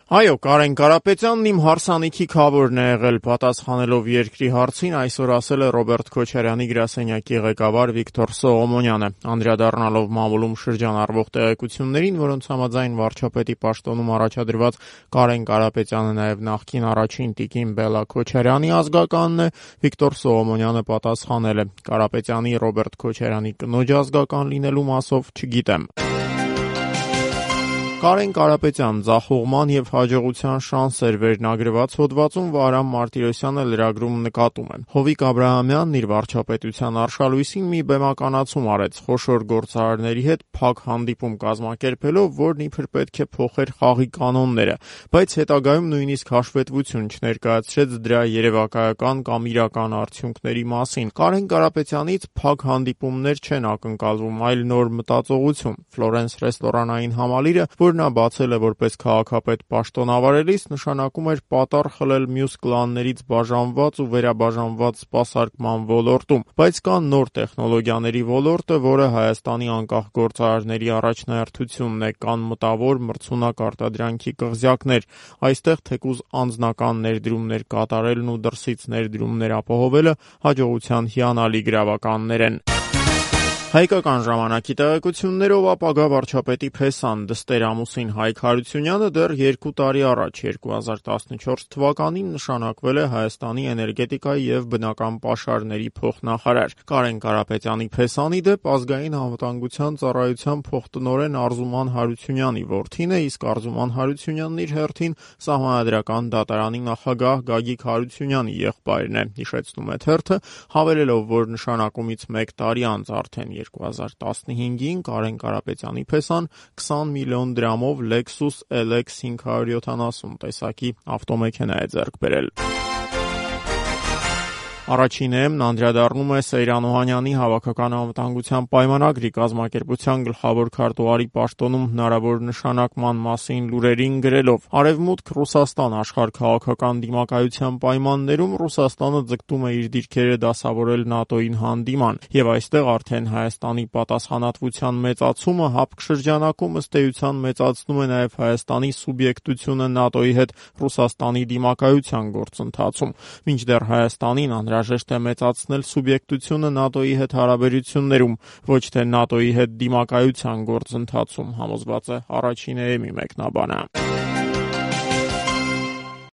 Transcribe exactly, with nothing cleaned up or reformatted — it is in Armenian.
Այո, Կարեն Կարապետյանն իմ հարսանիքի քավորն է եղել, պատասխանելով երկրի հարցին այսօր ասել է Ռոբերտ Քոչարյանի գրասենյակի ղեկավար Վիկտոր Սողոմոնյանը, անդրադառնալով մամուլում շրջանառվող տեղեկություններին, որոնց համաձայն վարչապետի պաշտոնում առաջադրված Կարեն Կարապետյանը նաև նախկին առաջին տիկին Բելլա Քոչարյանի ազգականն է, Վիկտոր Սողոմոնյանը պատասխանել է. Կարապետյանի Ռոբերտ Քոչարյանի կնոջ ազգական լինելու մասով չգիտեմ։ Կարեն Կարապետյան ձախողման և հաջողության շանսեր վերնագրված հոդվածում Վահրամ Մարտիրոսյանը լրագրում նկատում է. Հովիկ Աբրահամյանն իր վարչապետության արշալույսին մի բեմականացում արեց խոշոր գործարարների հետ փակ հանդիպում կազմակերպելով, որն իբր պետք է փոխեր խաղի կանոնները, բայց հետագայում նույնիսկ հաշվետվություն չներկայացրեց դրա երևակայական կամ իրական արդյունքների մասին։ Կարեն Կարապետյանից փակ հանդիպումներ չեն ակնկալվում, այլ նոր մտածողություն։ Ֆլորենս ռեստորանային համալիրը, որ նա բացել է որպես քաղաքապետ պաշտոնավարելիս, նշանակում էր պատառ խլել մյուս կլաններից բաժանված ու վերաբաժանված սպասարկման ոլորտում, բայց կա նոր տեխնոլոգիաների ոլորտը, որը Հայաստանի անկախ գործարարների առաջնահերթությունն է, կան մտավոր մրցունակ արտադրանքի կղզյակներ, այստեղ թեկուզ անձնական ներդրումներ կատարելն ու դրսից ներդրումներ ապահովելը հաջողության հիանալի գրավականներ են։ Հայկական ժամանակի տեղեկություններով ապագա վարչապետի փեսան դստեր ամուսին Հայկ Հարությունյանը դեռ երկու տարի առաջ երկու հազար տասնչորս թվականին նշանակվել է Հայաստանի էներգետիկայի և բնական պաշարների փոխնախարար։ Կարեն Կարապետյանի փեսանի դեպ ազգային անվտանգության ծառայության փոխտնօրեն Արզուման Հարությունյանի որդին է, իսկ Արզուման Հարությունյանն իր հերթին Սահմանադրական դատարանի նախագահ Գագիկ Հարությունյանի եղբայրն է, հիշեցնում է թերթը, հավելելով, որ նշանակումից մեկ տարի անց արդեն երկու հազար տասնհինգին Կարեն Կարապետյանի փեսան քսան միլիոն դրամով Lexus L X հինգ հարյուր յոթանասուն տեսակի ավտոմեքենա է ձեռք բերել։ Առաջին էմն անդրադառնում է Սեյրան Օհանյանի հավաքական անվտանգության պայմանագրի կազմակերպության գլխավոր քարտուղարի պաշտոնում հնարավոր նշանակման մասին լուրերին գրելով. Արևմուտք Ռուսաստան աշխարհ քաղաքական դիմակայության պայմաններում Ռուսաստանը ձգտում է իր դիրքերը դասավորել ՆԱՏՕ-ին հանդիման, եւ այստեղ արդեն Հայաստանի պատասխանատվության մեծացումը հապկ շրջանակում ըստ էության մեծացնում է նաեւ Հայաստանի սուբյեկտությունը ՆԱՏՕ-ի հետ Ռուսաստանի դիմակայության գործընթացում, մինչդեռ Հայաստանին անհրաժեշտ է մեծացնել սուբյեկտությունը ՆԱՏՕ-ի հետ հարաբերություններում, ոչ թե ՆԱՏՕ-ի հետ դիմակայության գործընթացում, համոզված է առաջին էմի մեկնաբանը։